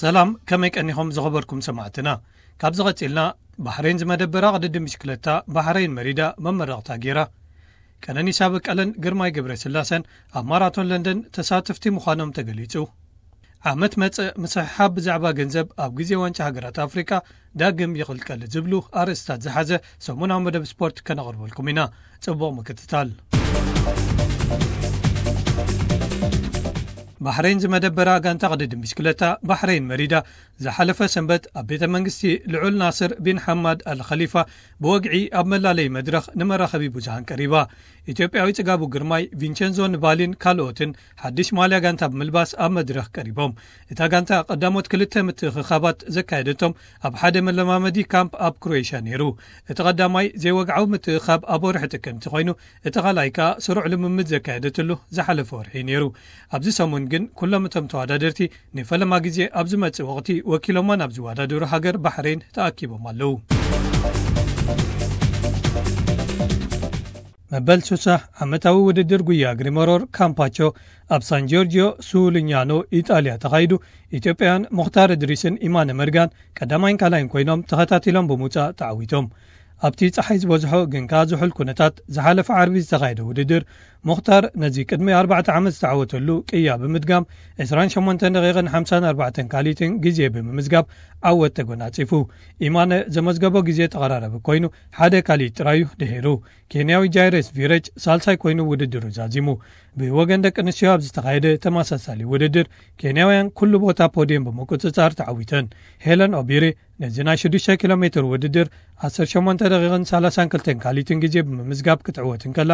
ሰላም፣ ከመይ ቀኒኹም ዝኸበርኩም ሰማዕትና? ካብዚ ቀጺልና፣ ባሕሬን ዝመደበራ ቅድድም ብሽክለታ ባሕሬን መሪዳ መመረቕታ ገይራ። ቀነኒሳ በቀለን ግርማይ ገብረስላሰን ኣብ ማራቶን ለንደን ተሳተፍቲ ምዃኖም ተገሊጹ። ዓመት መጸ፣ ምስሕሓብ ብዛዕባ ገንዘብ ኣብ ግዜ ዋንጫ ሃገራት ኣፍሪቃ ዳግም ይቕልቀል ዝብሉ ኣርእስታት ዝሓዘ ሰሙናዊ መደብ ስፖርት ከነቕርበልኩም ኢና። ጽቡቕ ምክትታል። ባሕሬን ዝመደበራ ጋንታ ቅድድም ብሽክለታ ባሕሬን መሪዳ ዝሓለፈ ሰንበት ኣብ ቤተ መንግስቲ ልዑል ናስር ቢን ሓማድ ኣል ኸሊፋ ብወግዒ ኣብ መላለይ መድረኽ ንመራኸቢ ብዙሃን ቀሪባ። ኢትዮጵያዊ ጽጋቡ ግርማይ፣ ቪንቸንዞ ንባሊን ካልኦትን ሓድሽ ማልያ ጋንታ ብምልባስ ኣብ መድረኽ ቀሪቦም። እታ ጋንታ ቀዳሞት ክልተ ምትእኽኻባት ዘካየደቶም ኣብ ሓደ መለማመዲ ካምፕ ኣብ ክሮኤሽያ ነይሩ። እቲ ቀዳማይ ዘይወግዓዊ ምትእኽኻብ ኣብ ወርሒ ጥቅምቲ ኮይኑ፣ እቲ ካልኣይ ከኣ ስሩዕ ልምምድ ዘካየደትሉ ዝሓለፈ ወርሒ ነይሩ። ኣብዚ ሰሙን ግን ኩሎም እቶም ተወዳደርቲ ንፈለማ ግዜ ኣብ ዝመጽእ ወቕቲ ወኪሎማ ናብ ዝወዳደሩ ሃገር ባሕሬን ተኣኪቦም ኣለዉ። መበል ሱሳ ዓመታዊ ውድድር ጉያ እግሪ መሮር ካምፓቾ ኣብ ሳን ጆርጂዮ ሱሉኛኖ ኢጣልያ ተኻይዱ። ኢትዮጵያውያን ሙኽታር እድሪስን ኢማነ መርጋን ቀዳማይን ካልኣይን ኮይኖም ተኸታቲሎም ብምውጻእ ተዓዊቶም። ኣብቲ ጸሓይ ዝበዝሖ ግን ከኣ ዝሑል ኩነታት ዝሓለፈ ዓርቢ ዝተኻየደ ውድድር፣ ሙኽታር ነዚ ቅድሚ ኣርባዕተ ዓመት ዝተዓወተሉ ቅያ ብምድጋም ዕስራን ሸሞንተን ደቂቕን ሓምሳን ኣርባዕተን ካሊትን ግዜ ብምምዝጋብ ዓወት ተጎናጺፉ። ኢማነ ዘመዝገቦ ግዜ ተቐራራቢ ኮይኑ ሓደ ካሊት ጥራዩ ድሒሩ። ኬንያዊ ጃይረስ ቪረጅ ሳልሳይ ኮይኑ ውድድሩ ዛዚሙ። ብወገን ደቂ ኣንስትዮ ኣብ ዝተኻየደ ተመሳሳሊ ውድድር፣ ኬንያውያን ኩሉ ቦታ ፖድየም ብምቁጽጻር ተዓዊተን። ሄለን ኦቢሪ ነዚ ናይ ሽዱሽተ ኪሎ ሜትር ውድድር ዓሰርተ ሸሞንተ ደቂቕን ሰላሳን ክልተን ካሊትን ግዜ ብምምዝጋብ ክትዕወት እንከላ፣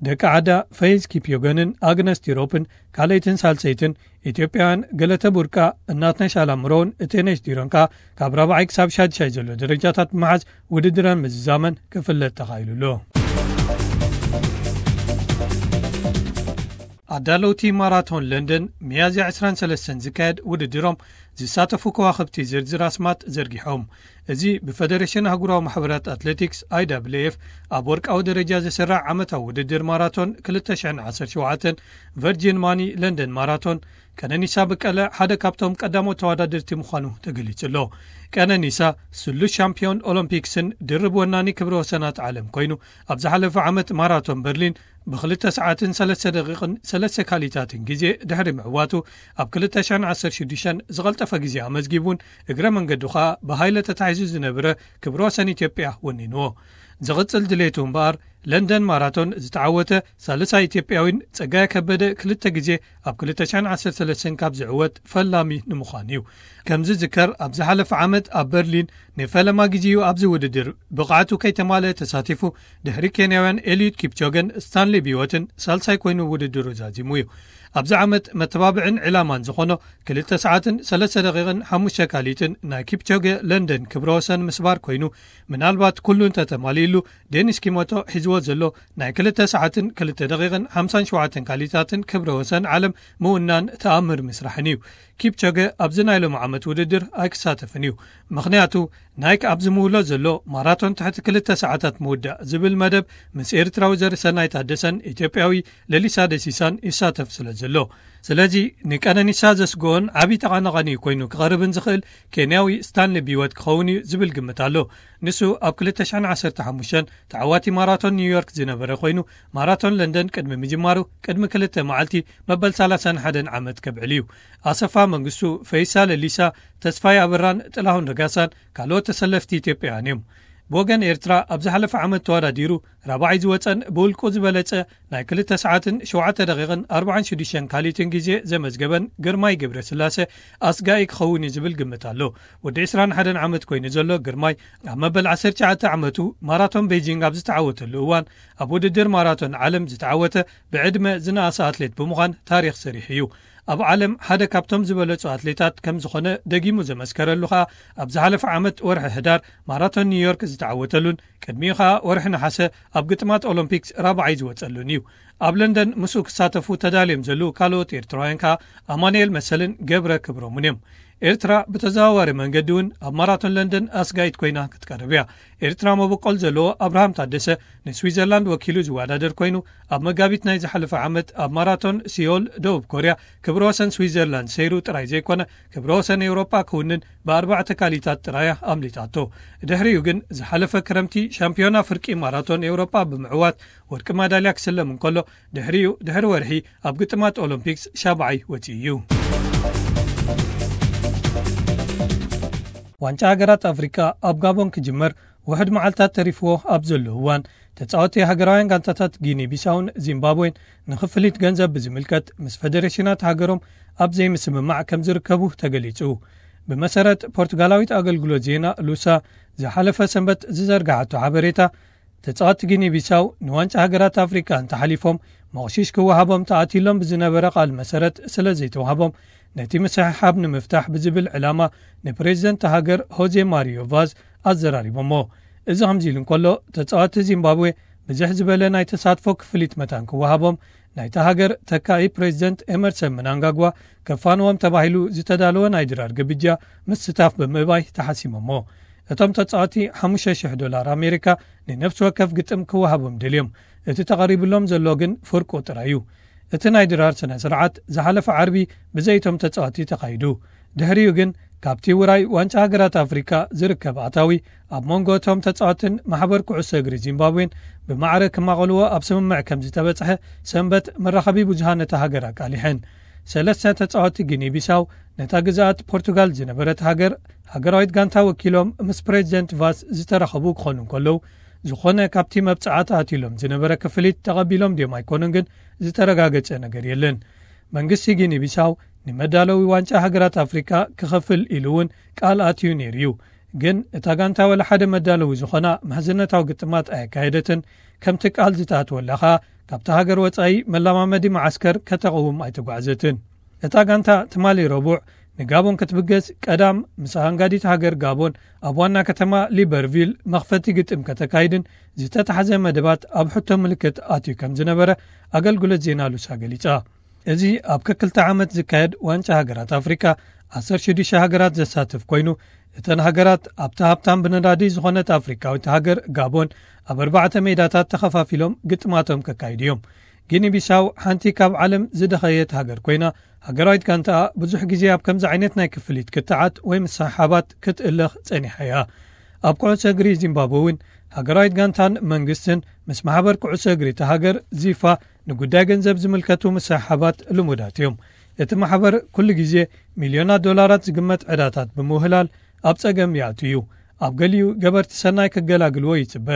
ደቂ ዓዳ ፈይዝ ኪፕዮገንን ኣግነስ ቲሮፕን ካልኣይትን ሳልሰይትን፣ ኢትዮጵያውያን ገለተ ቡርቃ፣ እናትነሽ ኣላምሮን እቴነሽ ዲሮን ከኣ ካብ ራብዓይ ክሳብ ሻድሻይ ዘሎ ደረጃታት ብምሓዝ ውድድረን ምዝዛመን ክፍለጥ ተኻኢሉ ኣሎ። ኣዳለውቲ ማራቶን ለንደን ሚያዝያ ዕስራን ሰለስተን ዝካየድ ውድድሮም ዝሳተፉ ከዋኽብቲ ዝርዝር ኣስማት ዘርጊሖም። እዚ ብፈደሬሽን ኣህጉራዊ ማሕበራት ኣትሌቲክስ፣ ኣይ ደብሊው ኤፍ፣ ኣብ ወርቃዊ ደረጃ ዝስራዕ ዓመታዊ ውድድር ማራቶን ክልተ ሽሕን ዓሰርተ ሸውዓተን ቨርጂን ማኒ ለንደን ማራቶን፣ ቀነኒሳ በቀለ ሓደ ካብቶም ቀዳሞት ተወዳደርቲ ምዃኑ ተገሊጹ ኣሎ። ቀነኒሳ ስሉስ ሻምፒዮን ኦሎምፒክስን ድርብ ወናኒ ክብረ ወሰናት ዓለም ኮይኑ፣ ኣብ ዝሓለፈ ዓመት ማራቶን በርሊን ብክልተ ሰዓትን ሰለስተ ደቂቕን ሰለስተ ካሊታትን ግዜ ድሕሪ ምዕዋቱ፣ ኣብ ክልተ ሽሕን ዓሰርተ ሽዱሽተን ዝቐልጠፈ ግዜ ኣመዝጊቡን፣ እግረ መንገዱ ኸኣ ብሃይለ ተታሒዙ ዝነበረ ክብረ ወሰን ኢትዮጵያ ወኒንዎ። ዝቕጽል ድሌቱ እምበኣር፣ ለንደን ማራቶን ዝተዓወተ ሳልሳይ ኢትዮጵያዊን ጸጋይ ከበደ ክልተ ግዜ ኣብ ክልተ ሽሕን ዓሰርተ ሰለስተን ካብ ዝዕወት ፈላሚ ንምዃን እዩ። ከም ዝዝከር፣ ኣብ ዝሓለፈ ዓመት ኣብ በርሊን ንፈለማ ግዜኡ ኣብዚ ውድድር ብቕዓቱ ከይተማልአ ተሳቲፉ፣ ድሕሪ ኬንያውያን ኤልዩድ ኪፕቾገን ስታንሊ ቢወትን ሳልሳይ ኮይኑ ውድድሩ ዛዚሙ እዩ። ኣብዚ ዓመት መተባብዕን ዕላማን ዝኾኖ ክልተ ሰዓትን ሰለስተ ደቂቕን ሓሙሽተ ካሊትን ናይ ኪፕቾገ ለንደን ክብረ ወሰን ምስባር ኮይኑ፣ ምናልባት ኩሉ እንተተማሊእሉ፣ ዴኒስ ኪሞቶ ሒዝዎ ዘሎ ናይ ክልተ ሰዓትን ክልተ ደቂቕን ሓምሳን ሸውዓተን ካሊታትን ክብረ ወሰን ዓለም ምውናን ተኣምር ምስራሕን እዩ። ኪፕቾገ ኣብዚ ናይ ሎሚ ዓመት ውድድር ኣይክሳተፍን እዩ። ምኽንያቱ፣ ናይክ ኣብ ዝምውሎ ዘሎ ማራቶን ትሕቲ ክልተ ሰዓታት ምውዳእ ዝብል መደብ ምስ ኤርትራዊ ዘርሰናይ ታደሰን ኢትዮጵያዊ ለሊሳ ደሲሳን ይሳተፍ ስለ ዘሎ። ስለዚ ንቀነኒሳ ዘስግኦን ዓቢ ጠቓነቓኒ ኮይኑ ክቐርብን ዝኽእል ኬንያዊ ስታንሊ ቢወት ክኸውን እዩ ዝብል ግምት ኣሎ። ንሱ ኣብ ክልተ ሽሕን ዓሰርተ ሓሙሽተን ተዓዋቲ ማራቶን ኒውዮርክ ዝነበረ ኮይኑ፣ ማራቶን ለንደን ቅድሚ ምጅማሩ ቅድሚ ክልተ መዓልቲ መበል ሰላሳን ሓደን ዓመት ከብዕል እዩ። ኣሰፋ መንግስቱ፣ ፈይሳ ለሊሳ፣ ተስፋይ ኣበራን ጥላሁን ረጋሳን ካልኦት ተሰለፍቲ ኢትዮጵያውያን እዮም። ብወገን ኤርትራ ኣብ ዝሓለፈ ዓመት ተወዳዲሩ ራብዓይ ዝወጸን ብውልቁ ዝበለጸ ናይ ክልተ ሰዓትን ሸውዓተ ደቂቕን ኣርባዓን ሽዱሽተን ካሊትን ግዜ ዘመዝገበን ግርማይ ገብረስላሴ ኣስጋኢ ክኸውን እዩ ዝብል ግምት ኣሎ። ወዲ ዕስራን ሓደን ዓመት ኮይኑ ዘሎ ግርማይ ኣብ መበል ዓሰርተ ትሽዓተ ዓመቱ ማራቶን ቤጂንግ ኣብ ዝተዓወተሉ እዋን ኣብ ውድድር ማራቶን ዓለም ዝተዓወተ ብዕድመ ዝነኣሰ ኣትሌት ብምዃን ታሪኽ ሰሪሑ እዩ። ኣብ ዓለም ሓደ ካብቶም ዝበለጹ ኣትሌታት ከም ዝኾነ ደጊሙ ዘመስከረሉ ኸኣ ኣብ ዝሓለፈ ዓመት ወርሒ ሕዳር ማራቶን ኒውዮርክ ዝተዓወተሉን ቅድሚኡ ኸኣ ወርሒ ነሓሰ ኣብ ግጥማት ኦሎምፒክስ ራብዓይ ዝወጸሉን እዩ። ኣብ ለንደን ምስኡ ክሳተፉ ተዳልዮም ዘለዉ ካልኦት ኤርትራውያን ከኣ ኣማኑኤል መሰልን ገብረ ክብሮምን እዮም። ኤርትራ ብተዘዋዋሪ መንገዲ እውን ኣብ ማራቶን ለንደን ኣስጋይት ኮይና ክትቀርብ እያ። ኤርትራ መበቆል ዘለዎ ኣብርሃም ታደሰ ንስዊዘርላንድ ወኪሉ ዝወዳደር ኮይኑ፣ ኣብ መጋቢት ናይ ዝሓለፈ ዓመት ኣብ ማራቶን ሲዮል ደቡብ ኮርያ ክብረ ወሰን ስዊዘርላንድ ሰይሩ ጥራይ ዘይኮነ፣ ክብረ ወሰን ኤውሮጳ ክውንን ብኣርባዕተ ካሊታት ጥራያ ኣምሊጣቶ። ድሕሪኡ ግን ዝሓለፈ ክረምቲ ሻምፒዮና ፍርቂ ማራቶን ኤውሮጳ ብምዕዋት ወርቂ ማዳልያ ክስለም እንከሎ፣ ድሕሪኡ ድሕሪ ወርሒ ኣብ ግጥማት ኦሎምፒክስ ሻብዓይ ወጺኡ እዩ። ዋንጫ ሃገራት ኣፍሪካ ኣብ ጋቦን ክጅመር ውሕድ መዓልታት ተሪፍዎ ኣብ ዘሎ እዋን፣ ተጻወቲ ሃገራውያን ጋንታታት ጊኒ ቢሳውን ዚምባብዌን ንክፍሊት ገንዘብ ብዝምልከት ምስ ፈደሬሽናት ሃገሮም ኣብ ዘይምስምማዕ ከም ዝርከቡ ተገሊጹ። ብመሰረት ፖርቱጋላዊት ኣገልግሎት ዜና ሉሳ ዝሓለፈ ሰንበት ዝዘርግሓቶ ሓበሬታ፣ ተጻወቲ ጊኒ ቢሳው ንዋንጫ ሃገራት ኣፍሪካ እንተሓሊፎም መቕሺሽ ክወሃቦም ተኣትሎም ብዝነበረ ቃል መሰረት ስለ ዘይተዋህቦም፣ ነቲ ምስሕሓብ ንምፍታሕ ብዝብል ዕላማ ንፕሬዚደንት ሃገር ሆዜ ማሪዮ ቫዝ ኣዘራሪቦሞ። እዚ ከምዚ ኢሉ እንከሎ፣ ተጻወቲ ዚምባብዌ ብዝሕ ዝበለ ናይ ተሳትፎ ክፍሊት መታን ክወሃቦም፣ ናይታ ሃገር ተካኢ ፕሬዚደንት ኤመርሰን ምናንጋጓ ከፋንዎም ተባሂሉ ዝተዳለወ ናይ ድራር ግብጃ ምስታፍ ብምእባይ ተሓሲሞሞ። እቶም ተጻወቲ ሓሙሽተ ሽሕ ዶላር ኣሜሪካ ንነፍሲ ወከፍ ግጥም ክወሃቦም ደልዮም። እቲ ተቐሪብሎም ዘሎ ግን ፍርቁ ጥራይ እዩ። እቲ ናይ ድራር ስነ ስርዓት ዝሓለፈ ዓርቢ ብዘይቶም ተጻወቲ ተኻይዱ። ድሕሪኡ ግን ካብቲ ውራይ ዋንጫ ሃገራት ኣፍሪካ ዝርከብ ኣታዊ ኣብ መንጎ እቶም ተጻወትን ማሕበር ኩዕሶ እግሪ ዚምባብዌን ብማዕረ ክማቐልዎ ኣብ ስምምዕ ከም ዝተበጽሐ ሰንበት መራኸቢ ብዙሃን እታ ሃገር ኣቃሊሐን። ሰለስተ ተጻወቲ ጊኒ ቢሳው ነታ ግዝኣት ፖርቱጋል ዝነበረት ሃገር ሃገራዊት ጋንታ ወኪሎም ምስ ፕሬዚደንት ቫስ ዝተራኸቡ ክኾኑ እንከለዉ፣ ዝኾነ ካብቲ መብጽዓ ተኣትሎም ዝነበረ ክፍሊት ተቐቢሎም ድዮም ኣይኮኑን ግን ዝተረጋገጸ ነገር የለን። መንግስቲ ጊኒ ቢሳው ንመዳለዊ ዋንጫ ሃገራት ኣፍሪካ ክኸፍል ኢሉ እውን ቃል ኣትዩ ነይሩ እዩ። ግን እታ ጋንታ ወላ ሓደ መዳለዊ ዝኾና ምሕዝነታዊ ግጥማት ኣየካየደትን። ከምቲ ቃል ዝተኣትወላ ኸኣ ካብቲ ሃገር ወጻኢ መላማመዲ መዓስከር ከተቕውም ኣይተጓዕዘትን። እታ ጋንታ ትማሊ ረቡዕ ንጋቦን ክትብገስ ቀዳም ምስ ኣንጋዲት ሃገር ጋቦን ኣብ ዋና ከተማ ሊበርቪል መኽፈቲ ግጥም ከተካይድን ዝተታሕዘ መደባት ኣብ ሕቶ ምልክት ኣትዩ ከም ዝነበረ ኣገልግሎት ዜና ሉሳ ገሊጻ። እዚ ኣብ ከክልተ ዓመት ዝካየድ ዋንጫ ሃገራት ኣፍሪካ ዓሰርተ ሽዱሽተ ሃገራት ዘሳትፍ ኮይኑ፣ እተን ሃገራት ኣብታ ሃብታም ብነዳዲ ዝኾነት ኣፍሪካዊት ሃገር ጋቦን ኣብ ኣርባዕተ ሜዳታት ተኸፋፊሎም ግጥማቶም ከካይዱ እዮም። ጊኒ ቢሳው ሓንቲ ካብ ዓለም ዝደኸየት ሃገር ኮይና፣ ሃገራዊት ጋንታኣ ብዙሕ ግዜ ኣብ ከምዚ ዓይነት ናይ ክፍሊት ክትዓት ወይ ምስሕሓባት ክትእለኽ ጸኒሓ እያ። ኣብ ኩዕሶ እግሪ ዚምባብወ እውን ሃገራዊት ጋንታን መንግስትን ምስ ማሕበር ኩዕሶ እግሪ እታ ሃገር ዚፋ ንጉዳይ ገንዘብ ዝምልከቱ ምስሕሓባት ልሙዳት እዮም። እቲ ማሕበር ኩሉ ግዜ ሚልዮናት ዶላራት ዝግመት ዕዳታት ብምውህላል ኣብ ጸገም ይኣቱ እዩ። ኣብ ገሊኡ ገበርቲ ሰናይ ክገላግልዎ ይጽበ።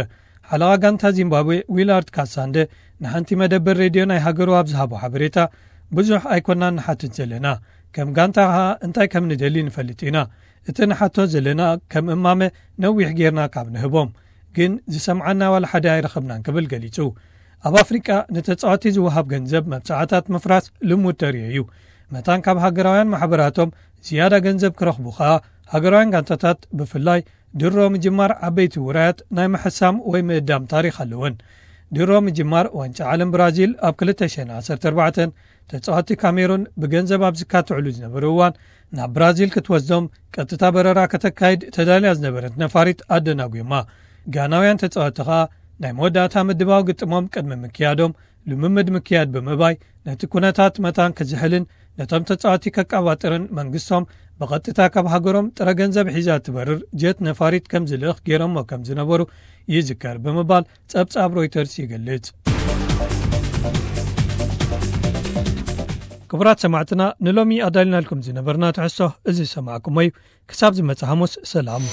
ሓለቓ ጋንታ ዚምባብዌ ዊላርድ ካሳንደ ንሓንቲ መደበር ሬድዮ ናይ ሃገሩ ኣብ ዝሃቦ ሓበሬታ፣ ብዙሕ ኣይኮናን ንሓትት ዘለና፣ ከም ጋንታ ኸኣ እንታይ ከም ንደሊ ንፈልጥ ኢና። እቲ ንሓቶ ዘለና ከም እማመ ነዊሕ ጌርና ካብ ንህቦም፣ ግን ዝሰምዓና ዋላ ሓደ ኣይረኸብናን ክብል ገሊጹ። ኣብ ኣፍሪቃ ንተጻወቲ ዝወሃብ ገንዘብ መብጻዓታት ምፍራስ ልሙድ ተርእዮ እዩ። መታን ካብ ሃገራውያን ማሕበራቶም ዝያዳ ገንዘብ ክረኽቡ ኸኣ ሃገራውያን ጋንታታት ብፍላይ ድሮ ምጅማር ዓበይቲ ውራያት ናይ ምሕሳም ወይ ምእዳም ታሪኽ ኣለወን። ድሮ ምጅማር ዋንጫ ዓለም ብራዚል ኣብ ክልተ ሽሕን ዓሰርተ ኣርባዕተን ተጻወቲ ካሜሩን ብገንዘብ ኣብ ዝካትዕሉ ዝነበሩ እዋን ናብ ብራዚል ክትወስዶም ቀጥታ በረራ ከተካይድ ተዳልያ ዝነበረት ነፋሪት ኣደናጒማ። ጋናውያን ተጻወቲ ኸኣ ናይ መወዳእታ ምድባው ግጥሞም ቅድሚ ምክያዶም ልምምድ ምክያድ ብምእባይ ነቲ ኩነታት መታን ክዝሕልን ነቶም ተጻወቲ ከቃባጥርን መንግስቶም ብቐጥታ ካብ ሃገሮም ጥረ ገንዘብ ሒዛ ትበርር ጀት ነፋሪት ከም ዝልእኽ ገይሮሞ ከም ዝነበሩ ይዝከር ብምባል ጸብጻብ ሮይተርስ ይገልጽ። ክቡራት ሰማዕትና፣ ንሎሚ ኣዳልናልኩም ዝነበርና ትሕዝቶ እዚ ዝሰማዕኩሞ እዩ። ክሳብ ዝመጽእ ሓሙስ ሰላም።